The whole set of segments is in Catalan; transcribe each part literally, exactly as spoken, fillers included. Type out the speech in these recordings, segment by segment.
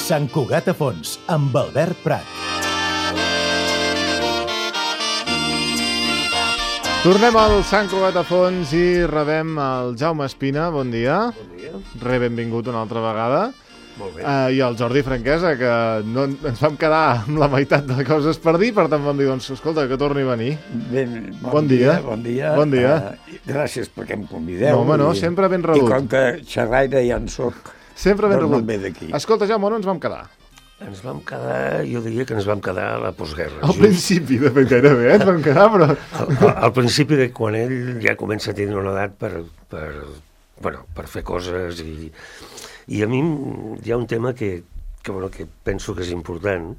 Sant Cugat a fons, amb Albert Prat. Tornem al Sant Cugat a fons i rebem el Jaume Espina. Bon dia. Bon dia. Re, benvingut una altra vegada. Molt bé. Uh, I el Jordi Franquesa, que no, ens vam quedar amb la meitat de coses per dir, per tant vam dir, doncs, escolta, que torni a venir. Ben, bon, Bon dia. dia. Bon dia. Bon dia. Uh, gràcies perquè em convideu. No, home, no, i, sempre ben I rebut. com que xerraire ja en soc, Sempre ben doncs no rebut. em ve d'aquí. Escolta, Jaume, on ens vam quedar? Ens vam quedar, jo diria que ens vam quedar a la postguerra. Al just principi, de fet, gairebé, eh? ens vam quedar, però... Al, al, al principi de quan ell ja comença a tenir una edat per, per, bueno, per fer coses i, i a mi hi ha un tema que, que, bueno, que penso que és important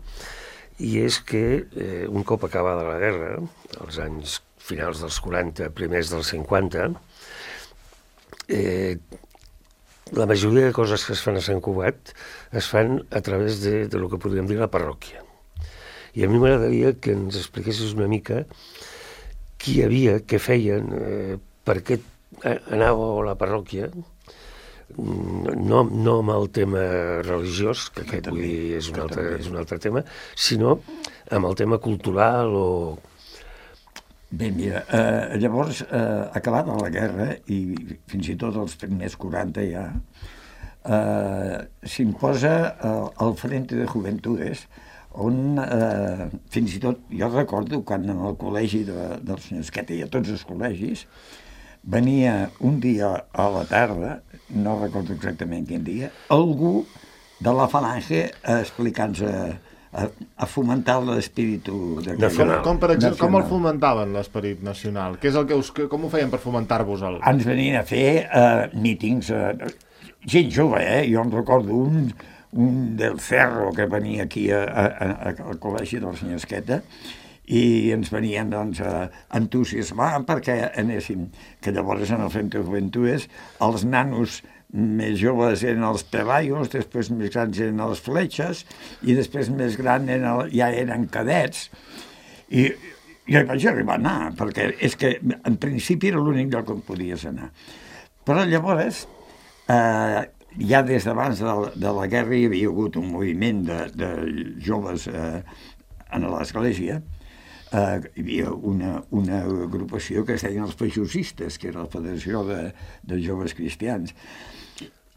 i és que eh, un cop acabada la guerra, als anys finals dels quaranta, primers dels cinquanta, eh, la majoria de coses que es fan a Sant Cugat es fan a través de, de lo que podríem dir la parròquia. I a mi m'agradaria que ens expliquessis una mica qui hi havia, què feien, eh, per què anàveu a la parròquia, no, no amb el tema religiós, que aquest vull dir, és, un altre, és un altre tema, sinó amb el tema cultural o... Bé, mira, eh, llavors, eh, acabada la guerra, i fins i tot els primers quaranta ja, eh, s'imposa eh, el Frente de Juventudes, on eh, fins i tot, jo recordo quan en el col·legi de, del senyor Esqueta i a tots els col·legis, venia un dia a la tarda, no recordo exactament quin dia, algú de la Falange explicant-nos a, a fomentar l'espíritu Com, com, per exemple, com el nacional. fomentaven l'esperit nacional? Què és el que us, com ho feien per fomentar-vos? El... Ens venien a fer uh, mítings, uh, gent jove, eh? Jo em recordo un, un del Cerro que venia aquí a, a, a, al col·legi del senyor Esqueta i ens venien doncs, a entusiasmar perquè anéssim, que llavors en el Frente de Juventudes els nanos més joves eren els pelayos, després més grans eren els fletxes i després més grans eren, ja eren cadets. I jo hi vaig arribar a anar, perquè és que en principi era l'únic lloc on podies anar. Però llavors, eh, ja des d'abans de, la, de la guerra hi havia hagut un moviment de, de joves eh, en l'església. Uh, hi havia una, una agrupació que es deien els pejosistes, que era la Federació de, de Joves Cristians.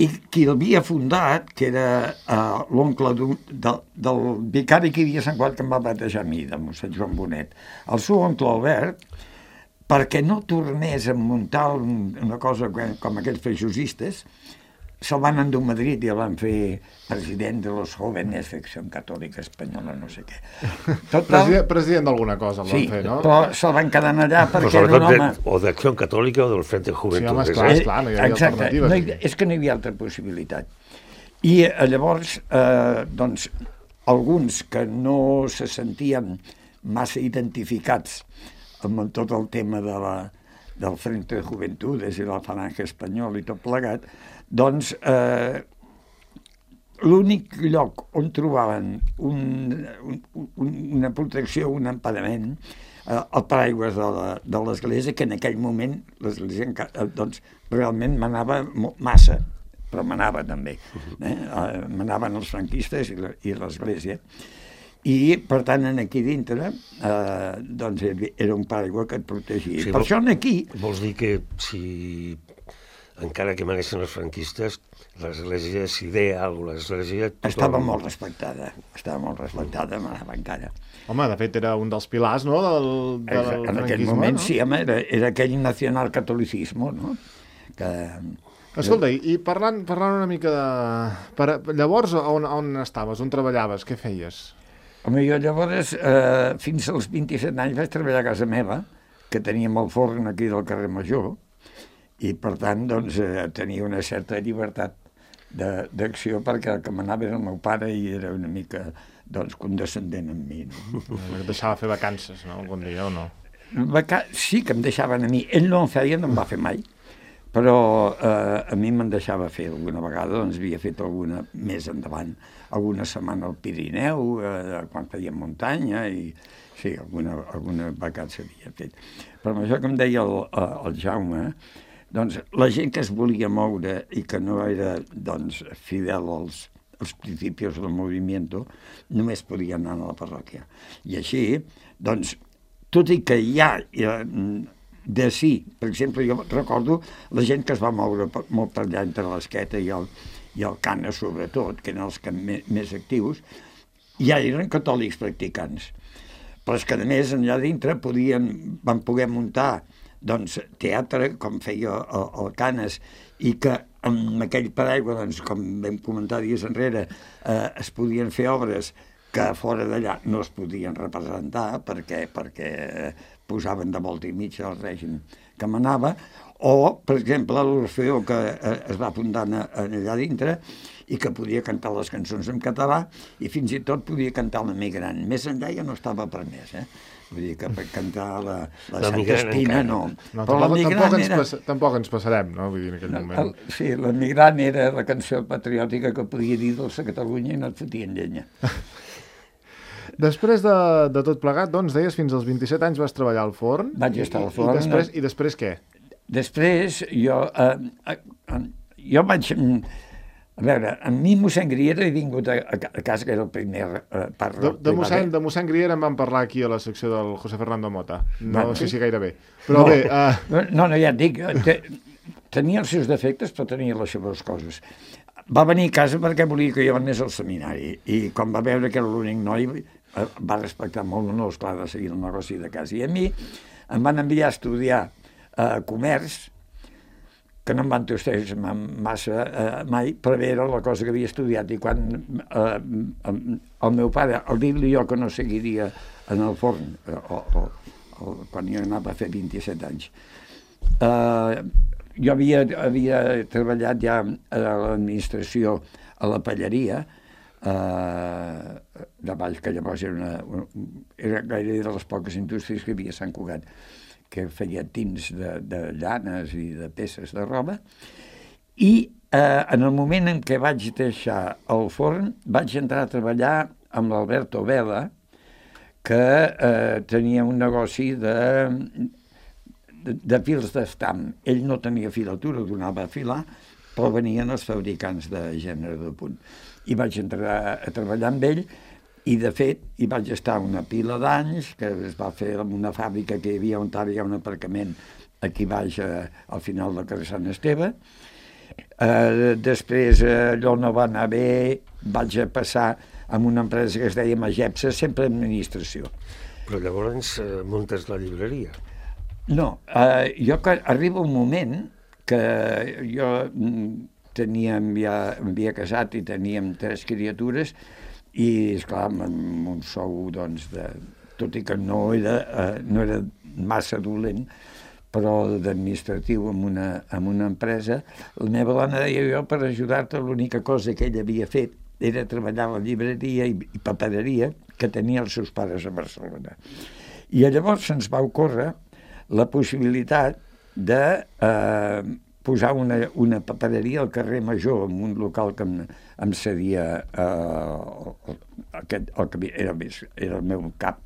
I qui l'havia fundat, que era uh, l'oncle del, del vicari que hi havia a Sant Cugat, que em va batejar a mi, de mossèn Joan Bonet, el seu oncle Albert, perquè no tornés a muntar un, una cosa com aquests pejosistes, se'l van endur a Madrid i el van fer president de los jóvenes de Acció Catòlica Espanyola, no sé què. Total, President, president d'alguna cosa el van sí, fer, no? però se'l van quedar allà Però perquè era un home... de, o d'Acció Catòlica o del Frente Sí, Juventud. home, esclar, esclar, no hi havia Exacte, alternatives. no hi, és que no hi havia altra possibilitat. I eh, llavors, eh, doncs, alguns que no se sentien massa identificats amb tot el tema de la, del Frente de Juventudes i la Falange Espanyol i tot plegat, doncs eh, l'únic lloc on trobaven un, un, un, una protecció, un emparament, eh, el paraigües de l'església, que en aquell moment l'església eh, doncs, realment manava massa, però manava també. Eh? Eh, manaven els franquistes i l'església. I, per tant, aquí dintre, eh, doncs, era un paraigua que et protegia. Sí, per vol, això aquí... Vols dir que si, encara que manessin els franquistes, l'església, si deia alguna cosa, l'església... Tothom... Estava molt respectada, estava molt respectada, manava encara. Home, de fet, era un dels pilars, no?, del, del En franquisme, aquell moment, no? sí, home, era, era aquell nacionalcatolicisme, no? Que... Escolta, i, i parlant, parlant una mica de... Per, llavors, on, on estaves? On treballaves? Què feies? Home, jo llavors, eh, fins als vint-i-set anys vaig treballar a casa meva, que teníem el forn aquí del carrer Major, i per tant, doncs, eh, tenia una certa llibertat d'acció perquè el que manava era el meu pare i era una mica, doncs, condescendent amb mi. No? Et deixava fer vacances, no?, algun dia, o no? Vaca... Sí que em deixaven a mi. Ell no en feia, no en va fer mai, però eh, a mi me'n deixava fer alguna vegada, doncs havia fet alguna més endavant, alguna setmana al Pirineu, eh, quan fèiem muntanya, i sí, alguna, alguna vegada s'havia fet. Però amb això que em deia el, el Jaume, doncs la gent que es volia moure i que no era doncs, fidel als, els principios del moviment només podien anar a la parròquia. I així, doncs, tot i que hi ha de sí, per exemple, jo recordo la gent que es va moure molt per allà entre l'Esqueta i el, i el Cana, sobretot, que eren els que més, més actius, ja eren catòlics practicants. Però és que, a més, allà dintre podien, van poder muntar doncs, teatre, com feia el, el Canes, i que amb aquell paraigua, doncs, com vam comentar dies enrere, eh, es podien fer obres que fora d'allà no es podien representar perquè, perquè posaven de volta i mitja el règim que manava, o, per exemple, l'Orfeó que eh, es va fundar allà dintre i que podia cantar les cançons en català i fins i tot podia cantar l'Emigrant. Més enllà ja no estava permès, eh? Vull dir que per cantar la, la Santa Espina no. no Però tampoc, tampoc, ens era... pas, tampoc ens passarem, no? Vull dir, en aquell moment. El, sí, l'Emigrant era la cançó patriòtica que podia dir Dolça Catalunya i no et fotien llenya. Després de, de tot plegat, doncs, deies, fins als vint-i-set anys vas treballar al forn. Vaig estar al forn. I després, i després què? Després, jo, eh, eh, jo vaig... A veure, amb mi mossèn Griera he vingut a, a casa, que era el primer eh, part... De, de, mossèn, de mossèn Griera en vam parlar aquí a la secció del José Fernando Mota. No bueno, sé si gaire bé. Però no, bé... Uh... No, no, ja et dic, te, tenia els seus defectes, però tenia les seves coses. Va venir a casa perquè volia que jo anés al seminari, i quan va veure que era l'únic noi, eh, va respectar molt, no, esclar, de seguir el negoci de casa. I a mi em van enviar a estudiar eh, comerç, que no em van tostar massa eh, mai, però era la cosa que havia estudiat, i quan eh, el meu pare, al dir-li jo que no seguiria en el forn, eh, o, o, o, quan jo anava a fer vint-i-set anys, eh, jo havia, havia treballat ja a l'administració, a la pallaria, eh, de Valls, que llavors era, una, era gairebé de les poques indústries que hi havia a Sant Cugat, que feia tins de, de llanes i de peces de roba, i eh, en el moment en què vaig deixar el forn vaig entrar a treballar amb l'Alberto Vela, que eh, tenia un negoci de, de, de fils d'estam. Ell no tenia filatura, donava a filar, però venien els fabricants de gènere de punt. I vaig entrar a treballar amb ell, i de fet hi vaig estar una pila d'anys, que es va fer en una fàbrica que hi havia on hi ha un aparcament aquí baix, eh, al final del carrer Sant Esteve. Eh, després eh, allò no va anar bé, vaig a passar amb una empresa que es deia Magepsa, sempre administració. Però llavors eh, muntes la llibreria. No, eh, jo que arriba un moment que jo teníem ja, havia casat i teníem tres criatures, i, esclar, amb un sou, doncs, de, tot i que no era, eh, no era massa dolent, però d'administratiu en una, en una empresa, la meva dona deia jo, per ajudar-te, l'única cosa que ella havia fet era treballar a la llibreria i, i papereria que tenia els seus pares a Barcelona. I llavors se'ns va ocórrer la possibilitat de eh, posar una, una papereria al carrer Major, en un local que em, em cedia eh, aquest, el que era, era el meu cap,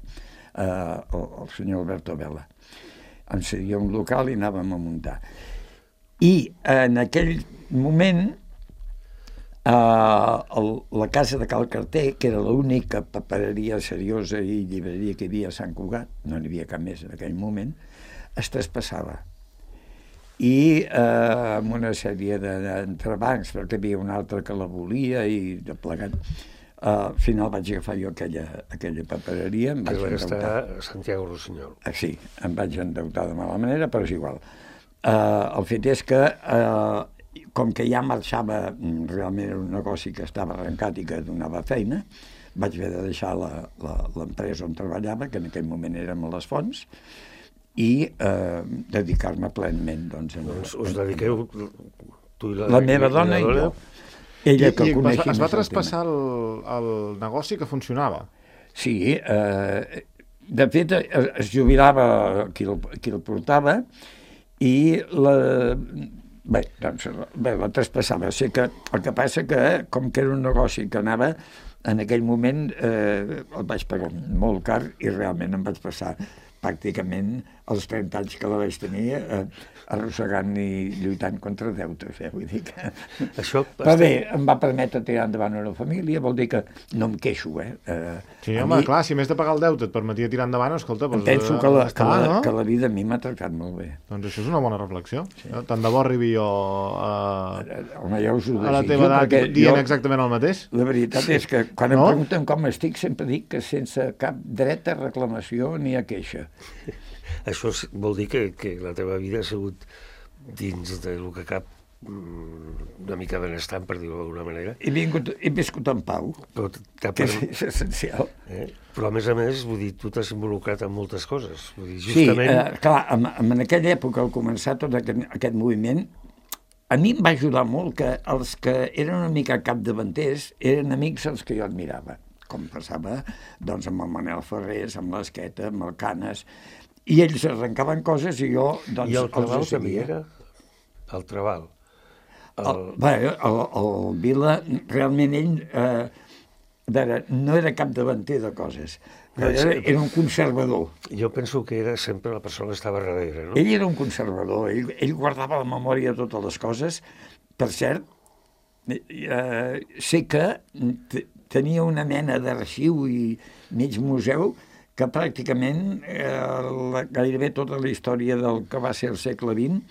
eh, el, el senyor Alberto Vela. Em cedia un local i anàvem a muntar. I en aquell moment eh, el, la casa de Cal Carter, que era l'única papereria seriosa i llibreria que hi havia a Sant Cugat, no n'hi havia cap més en aquell moment, es traspassava. I eh, amb una sèrie d'entrebancs, perquè hi havia un altre que la volia i de plegat. Eh, al final vaig agafar jo aquella, aquella papereria. Em vaig que va endeutar. estar a Santiago Rossinyol. Eh, sí, em vaig endeutar de mala manera, però és igual. Eh, el fet és que, eh, com que ja marxava, realment era un negoci que estava arrencat i que donava feina, vaig haver de deixar l'empresa on treballava, que en aquell moment érem a les Fonts, i eh, dedicar-me plenament. Doncs, en, doncs us dediqueu tu i la, la meva dona i jo. Ella que I, i coneixi es va traspassar el, el negoci que funcionava? Sí, eh, de fet es jubilava qui el, qui el portava i la, bé, doncs, bé, la traspassava. O sigui que, el que passa que, com que era un negoci que anava, en aquell moment eh, el vaig pagar molt car i realment em vaig passar pràcticament els trenta anys que la vaig tenir, eh, arrossegant i lluitant contra deutes, eh? Vull dir que... Això... Però bé, em va permetre tirar endavant una família, vol dir que no em queixo, eh? eh sí, home, mi... clar, si més de pagar el deute et permetia tirar endavant, escolta... Doncs, penso que la, està, que, la, no? que la vida a mi m'ha tractat molt bé. Doncs això és una bona reflexió. Sí. Tant de bo arribi jo a, home, ja us ho a la teva edat dient jo, exactament el mateix. La veritat és que quan no? em pregunten com estic, sempre dic que sense cap dret a reclamació ni a queixa. Això vol dir que, que la teva vida ha sigut dins del que cap una mica benestant, per dir-ho d'alguna manera. He, vingut, he viscut en pau, però que per... és essencial. Eh? Però, a més a més, vull dir, tu t'has involucrat en moltes coses. Vull dir, justament... Sí, eh, clar, en, en aquella època, al començar tot aquest, aquest moviment, a mi em va ajudar molt que els que eren una mica capdavanters eren amics els que jo admirava, com passava doncs, amb el Manel Ferrés, amb l'Esqueta, amb el Canes, i ells arrencaven coses i jo doncs, I el Trabal els també era? El Trabal. El... El, bé, el, el Vila, realment ell eh, veure, no era capdavanter de coses, era, era un conservador. Jo penso que era sempre la persona que estava darrere, no? Ell era un conservador, ell, ell guardava la memòria de totes les coses. Per cert, eh, sé que tenia una mena d'arxiu i mig museu que pràcticament eh, gairebé tota la història del que va ser el segle vint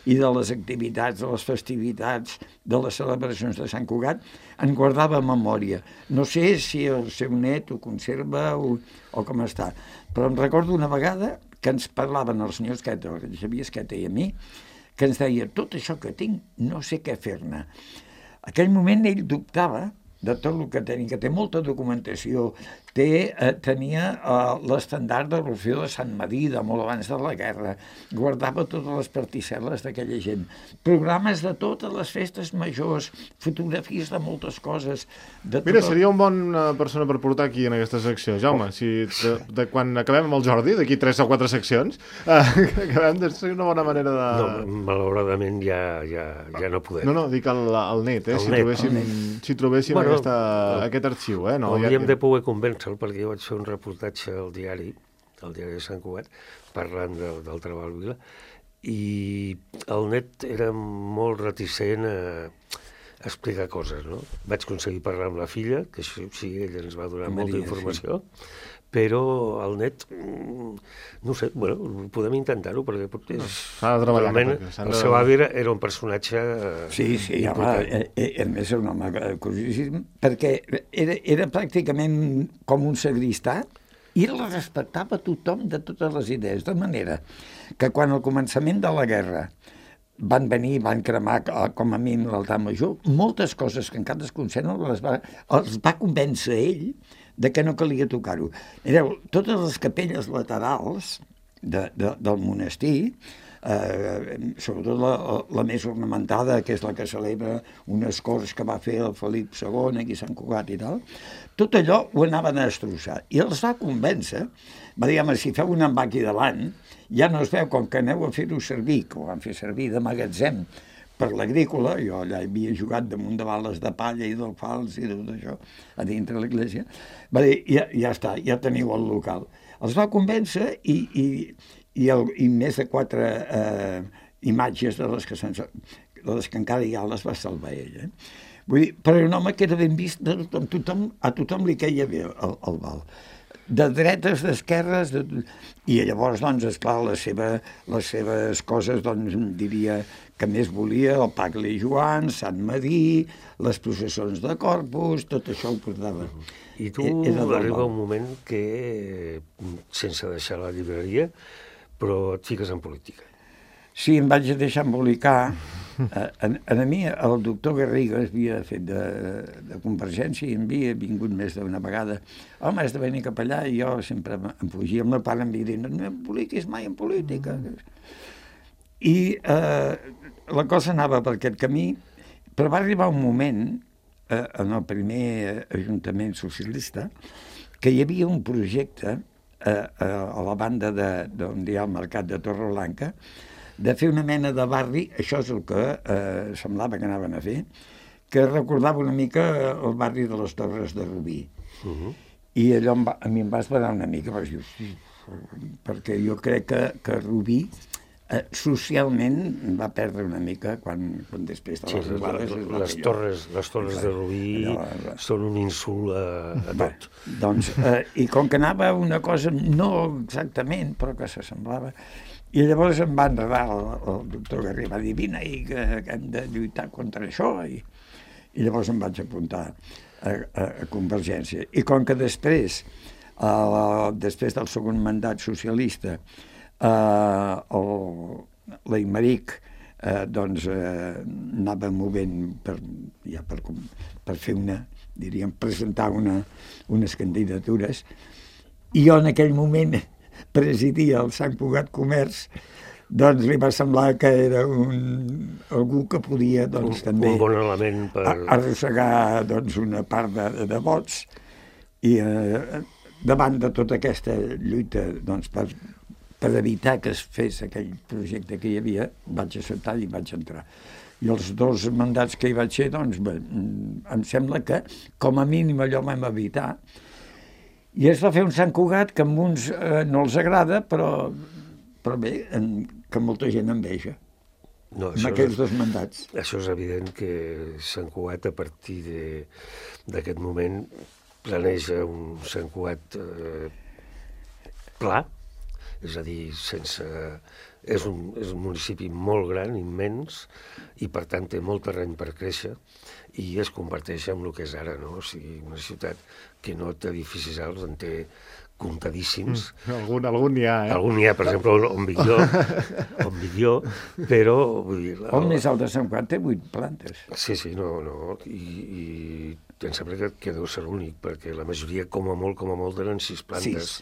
i de les activitats, de les festivitats, de les celebracions de Sant Cugat, en guardava memòria. No sé si el seu net ho conserva o, o com està, però em recordo una vegada que ens parlaven el senyor Esqueta, el Xavier Esqueta i a mi, que ens deia, tot això que tinc, no sé què fer-ne. Aquell moment ell dubtava de tot el que tenia, que té molta documentació, té, eh, tenia eh, l'estandard de Rufio de Sant Madí, de molt abans de la guerra, guardava totes les particel·les d'aquella gent, programes de totes les festes majors, fotografies de moltes coses. De Mira, tot... seria un bon persona per portar aquí en aquesta secció, Jaume, si de, de, quan acabem amb el Jordi, d'aquí tres o quatre seccions, eh, acabem de ser una bona manera de... No, malauradament ja, ja, ja no podem. No, no, dic el, el net, eh, el si, net, trobéssim, net. si trobéssim bueno, aquesta, el, aquest arxiu, eh? No, hauríem ja, de poder convèncer perquè jo vaig fer un reportatge al diari, al diari de Sant Cugat, parlant de, del Trabal Vila, i el net era molt reticent a explicar coses, no? Vaig aconseguir parlar amb la filla, que sí, sí ella ens va donar Maria, molta informació, sí. Però el net, no sé, bueno, podem intentar-ho, perquè és... S'ha de treballar. Realment, el de... seu avi era un personatge sí, sí, important. Home, a més és un home curiosíssim, perquè era, era pràcticament com un sagristà i el respectava tothom de totes les idees, de manera que quan al començament de la guerra van venir, van cremar com a mínim l'altar major, moltes coses que encara es conserven les va, els va convèncer ell de que no calia tocar-ho. Mireu, totes les capelles laterals de, de, del monestir, eh, sobretot la, la més ornamentada, que és la que celebra unes corts que va fer el Felip segon, aquí a Sant Cugat i tal, tot allò ho anaven a destrossar. I els va convèncer, va dir, home, si feu un envà aquí davant, ja no es veu, com que aneu a fer-ho servir, que ho van fer servir de magatzem, per l'agrícola, jo allà havia jugat damunt de bales de palla i d'alfals i tot això, a dintre de l'església, va dir, ja, ja està, ja teniu el local. Els va convèncer i, i, i, el, i més de quatre eh, imatges de les, que de les que encara hi ha les va salvar ell. Eh? Vull dir, però era un home que era ben vist de tothom, tothom, a tothom li queia bé el, el val. De dretes, d'esquerres, de... i llavors, doncs, esclar, la seva, les seves coses, doncs, diria que més volia, el Pagle i Joan, Sant Madí, les processons de Corpus, tot això ho portava. I tu arriba un moment que, sense deixar la llibreria, però et fiques en política. Sí, em vaig deixar embolicar. A, a, a mi el doctor Garriga havia fet de, de Convergència i em havia vingut més d'una vegada. Home, has de venir cap allà, i jo sempre em fugia. El meu pare em havia dit, no em publiquis mai en política. I eh, la cosa anava per aquest camí, però va arribar un moment, eh, en el primer Ajuntament Socialista, que hi havia un projecte eh, a la banda d'on hi ha el mercat de Torreblanca, de fer una mena de barri, això és el que eh, semblava que anaven a fer, que recordava una mica el barri de les Torres de Rubí. Uh-huh. I allò em va, a mi em va esperar una mica, perquè dius, perquè jo crec que, que Rubí eh, socialment va perdre una mica quan, quan després de les Sí, trobades... les, les, torres, les torres de Rubí allò- són un insult a, a Bé, tot. doncs, eh, i com que anava una cosa, no exactament, però que s'assemblava, i llavors em va enredar el, el doctor Garriga, va dir, vine, i que, que hem de lluitar contra això, i, i llavors em vaig apuntar a, a, a Convergència. I com que després, eh, després del segon mandat socialista, eh, el, l'Aimeric eh, doncs, eh, anava movent per, ja per, per fer una, diríem, presentar una, unes candidatures, i jo en aquell moment presidia el Sant Cugat Comerç, doncs li va semblar que era un, algú que podia doncs, Un, també un bon element per... a- arrossegar doncs, una part de, de vots, i eh, davant de tota aquesta lluita doncs, per, per evitar que es fes aquell projecte que hi havia, vaig acceptar i vaig entrar. I els dos mandats que hi vaig ser, doncs, bé, em sembla que com a mínim allò vam evitar. I es va fer un Sant Cugat que a uns eh, no els agrada, però, però bé, en, que molta gent enveja, No, amb això, aquells és, dos mandats. això és evident que Sant Cugat, a partir de- d'aquest moment, planeja un Sant Cugat eh, pla, és a dir, sense... És un, és un municipi molt gran, immens, i per tant té molt terreny per créixer, i es converteix en el que és ara, no? O sigui, una ciutat que no té edificis alts, en té comptadíssims. Mm, algun, algun n'hi ha, eh? Algun n'hi ha, per exemple, on vic jo, on vic jo, però... Vull dir, El més alt de Sant Cugat té vuit plantes. Sí, sí, no, no, i, i em sembla que, que deu ser l'únic, perquè la majoria, com a molt, com a molt, eren sis plantes.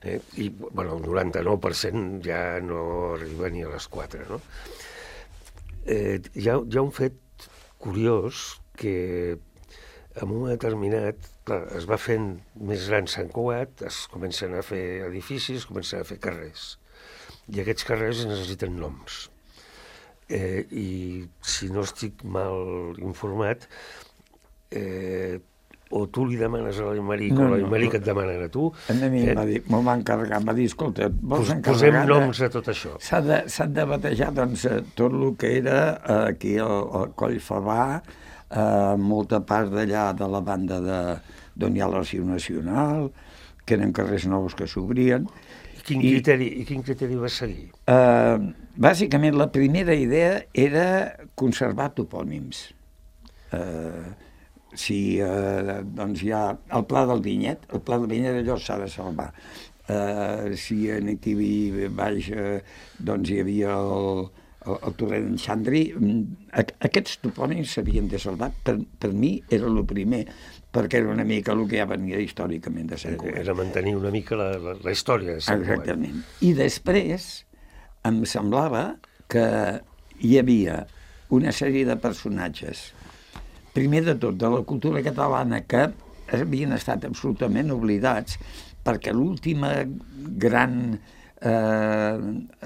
Eh? I, bueno, el noranta-nou per cent ja no arriba ni a les quatre, no? Eh, hi, ha, hi ha un fet curiós que en un moment determinat, clar, es va fent més gran Sant Cugat, es comencen a fer edificis, es comencen a fer carrers. I aquests carrers necessiten noms. Eh, I si no estic mal informat, eh, o tu li demanes a l'Aimeric No, o no, l'Aimeric no. et demana a tu, A mi eh, em va dir, m'ho va encarregar, em va dir, escolta, vols pos, encarregar... posem de- noms a tot això. S'ha de, s'ha de batejar doncs, eh, tot el que era eh, aquí al, al Coll Favà, eh, molta part d'allà de la banda de, d'on hi ha l'Arxiu Nacional, que eren carrers nous que s'obrien. I quin, I- criteri, I quin criteri vas seguir? Eh, bàsicament, la primera idea era conservar topònims. Eh, si eh, doncs hi ha el Pla del Vinyet, el Pla del Vinyet allò s'ha de salvar. Eh, si aquí baix eh, doncs hi havia el, el, el torrent d'en Xandri, aquests topònims s'havien de salvar. Per, per mi era el primer, perquè era una mica el que ja venia històricament de Sant Cugat. Era mantenir una mica la, la, la història de Sant Cugat. Exactament. I després em semblava que hi havia una sèrie de personatges, primer de tot, de la cultura catalana, que havien estat absolutament oblidats, perquè l'última gran eh,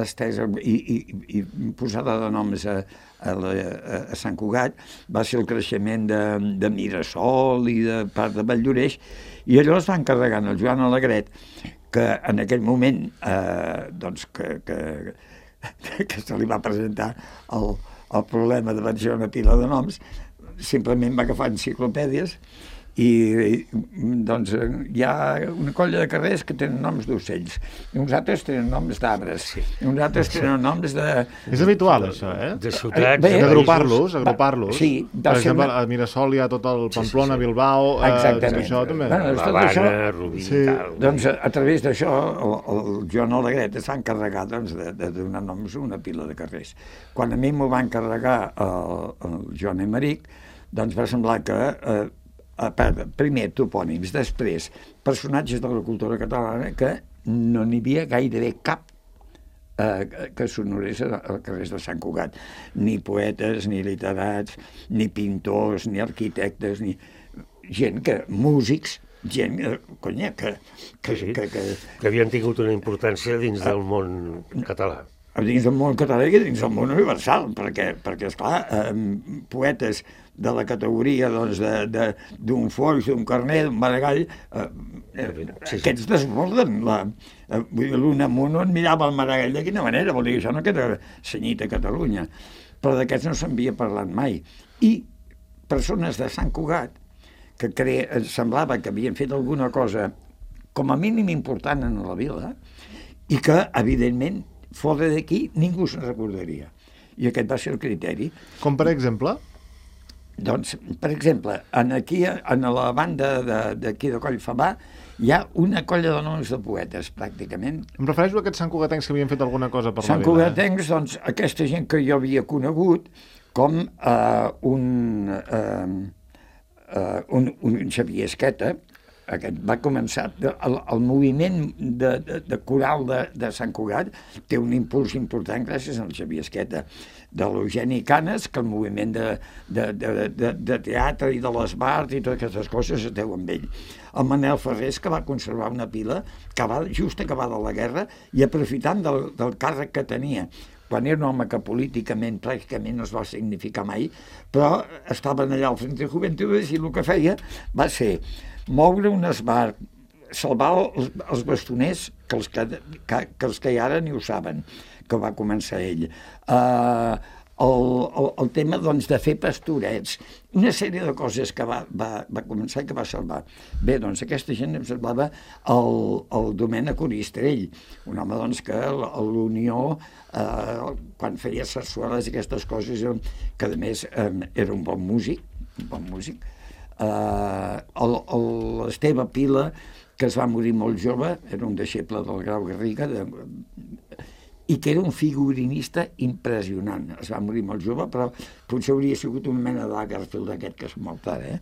estesa i, i, i posada de noms a, a, la, a Sant Cugat va ser el creixement de, de Mirasol i de part de Valldoreix, i allò es va encarregar al Joan Alegret, que en aquell moment eh, doncs que, que, que se li va presentar el, el problema de menjar una pila de noms, simplement va agafar enciclopèdies i, i doncs hi ha una colla de carrers que tenen noms d'ocells, i uns altres tenen noms d'arbres, sí. I uns altres tenen noms de... És habitual, això, eh? De ciutats, Bé, de Agrupar-los, Va, agrupar-los. sí, va per ser exemple, una- a Mirasol hi ha tot el Sí, sí, Pamplona, sí. Bilbao, eh, Exactament. tot això també. Bueno, tot l'Havana, això- Rubí, Sí. tal. Doncs a, a través d'això el, el Joan Alegret es va encarregar doncs, de, de donar noms a una pila de carrers. Quan a mi m'ho va encarregar el, el Joan Aimeric, doncs va semblar que eh, a part, primer topònims, després personatges de la cultura catalana que no n'hi havia gairebé cap eh, que s'honorés als carrers de Sant Cugat. Ni poetes, ni literats, ni pintors, ni arquitectes, ni gent que... músics, gent, eh, conya, que... que, Sí, sí. que, que que havien tingut una importància dins del món català. dins del món català i dins del món universal, perquè, perquè esclar, eh, poetes de la categoria doncs, d'un Foix, d'un Carner, d'un Maragall, eh, eh, sí, sí. Aquests desborden. La, eh, l'Unamuno et mirava el Maragall de quina manera, vol dir que això no queda senyit a Catalunya, però d'aquests no s'havia parlat mai. I persones de Sant Cugat, que cre... semblava que havien fet alguna cosa com a mínim important en la vila, i que, evidentment, fora d'aquí ningú se'n recordaria. I aquest va ser el criteri. Com per exemple? Doncs, per exemple, en aquí, en la banda d'aquí de, de Collfabà, hi ha una colla de noms de poetes, pràcticament. Em refereixo a aquests santcugatencs que havien fet alguna cosa per Sant la vila. Santcugatencs, eh? Doncs, aquesta gent que jo havia conegut, com eh, un, eh, eh, un, un Xavier Esqueta, aquest va començar, el, el moviment de, de, de coral de, de Sant Cugat té un impuls important gràcies al Xavier Esqueta, de l'Eugeni Canes, que el moviment de, de, de, de, de teatre i de l'esbart i totes aquestes coses es deu amb ell. El Manel Ferrés, que va conservar una pila que va just acabada la guerra i aprofitant del, del càrrec que tenia, quan era un home que políticament pràcticament no es va significar mai, però estaven allà al Frente de Juventudes i el que feia va ser moure un esbart, salvar els, els bastoners, que els que, que, que els que hi ara ni ho saben, que va començar ell. Uh, el, el, el tema doncs, de fer pastorets, una sèrie de coses que va, va, va començar i que va salvar. Bé, doncs aquesta gent em semblava el, el Domènec Oristrell, un home doncs, que a l'Unió, uh, quan feia sarsueles i aquestes coses, que a més um, era un bon músic, un bon músic, Uh, l'Esteve Pila, que es va morir molt jove, era un deixeble del Grau Garriga, de, i que era un figurinista impressionant. Es va morir molt jove, però potser hauria sigut una mena d'Agarfield d'aquest que és molt tard, eh?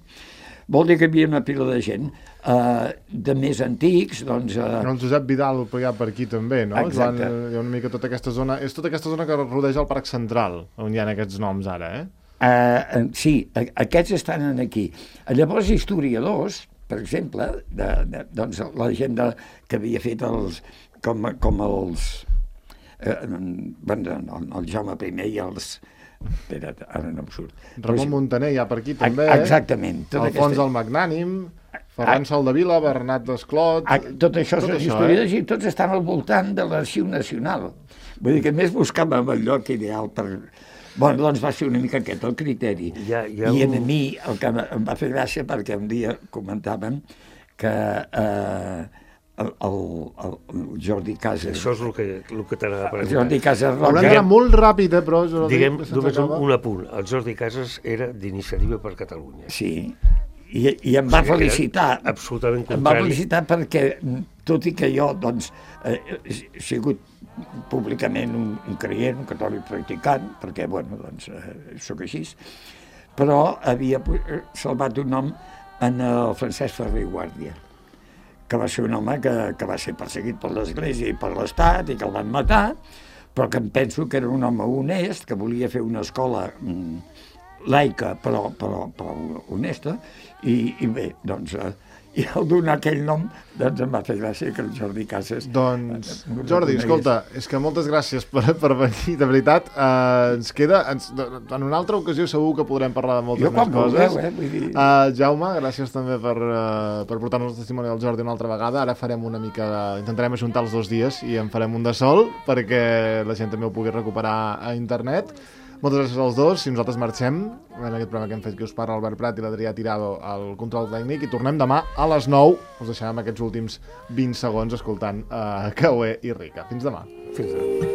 Vol dir que hi havia una pila de gent uh, de més antics, doncs... Uh... El Josep Vidal hi ha per aquí també, no? Exacte. Joan, hi ha una mica tota aquesta zona... És tota aquesta zona que rodeja el Parc Central, on hi ha aquests noms ara, eh? Uh, sí, aquests estan aquí. Llavors, historiadors, per exemple, de, de, doncs, la gent de, que havia fet els, com, com els... Eh, bueno, el, el Jaume I i els... Espera't, ara no em surt. Ramon Però, Montaner hi ha per aquí també. Exactament. Alfons aquesta... el Magnànim, Ferran Soldevila, Bernat Desclot... Tot això, tot això historiadors, eh? I tots estan al voltant de l'Arxiu Nacional. Vull dir que més buscàvem el lloc ideal per... Bueno, doncs va ser una mica aquest el criteri. Ja, ja I a un... mi el que em va fer gràcia perquè un dia comentàvem que eh, el, el, el Jordi Casas... Això és el que, el que t'anava a preguntar. Jordi Casas Roca... Haurem d'anar molt ràpid, eh, però... Diguem només un, un apunt. El Jordi Casas era d'Iniciativa per Catalunya. Sí, i, i em va felicitar. Absolutament contrari. Em va felicitar perquè, tot i que jo, doncs, eh, he sigut públicament un, un creient, un catòlic practicant, perquè, bueno, doncs, eh, sóc així, però havia salvat un nom en el Francesc Ferrer i Guàrdia, que va ser un home que, que va ser perseguit per l'Església i per l'Estat i que el van matar, però que em penso que era un home honest, que volia fer una escola mm, laica, però, però, però honesta, i, i bé, doncs... Eh, i al donar aquell nom, doncs em va fer gràcia que el Jordi Casas... Doncs, Jordi, escolta, és que moltes gràcies per, per venir, de veritat. Uh, ens queda... Ens, en una altra ocasió segur que podrem parlar de moltes jo, més coses. Voleu, eh? Vull dir... uh, Jaume, gràcies també per, uh, per portar-nos el testimoni del Jordi una altra vegada. Ara farem una mica de... Intentarem ajuntar els dos dies i en farem un de sol perquè la gent també ho pugui recuperar a internet. Moltes gràcies als dos, i nosaltres marxem en aquest programa que hem fet, que us parla Albert Prat i l'Adrià Tirado al control tècnic, i tornem demà a les nou. Us deixarem aquests últims vint segons escoltant uh, Cauer i Rica. Fins demà. Fins demà.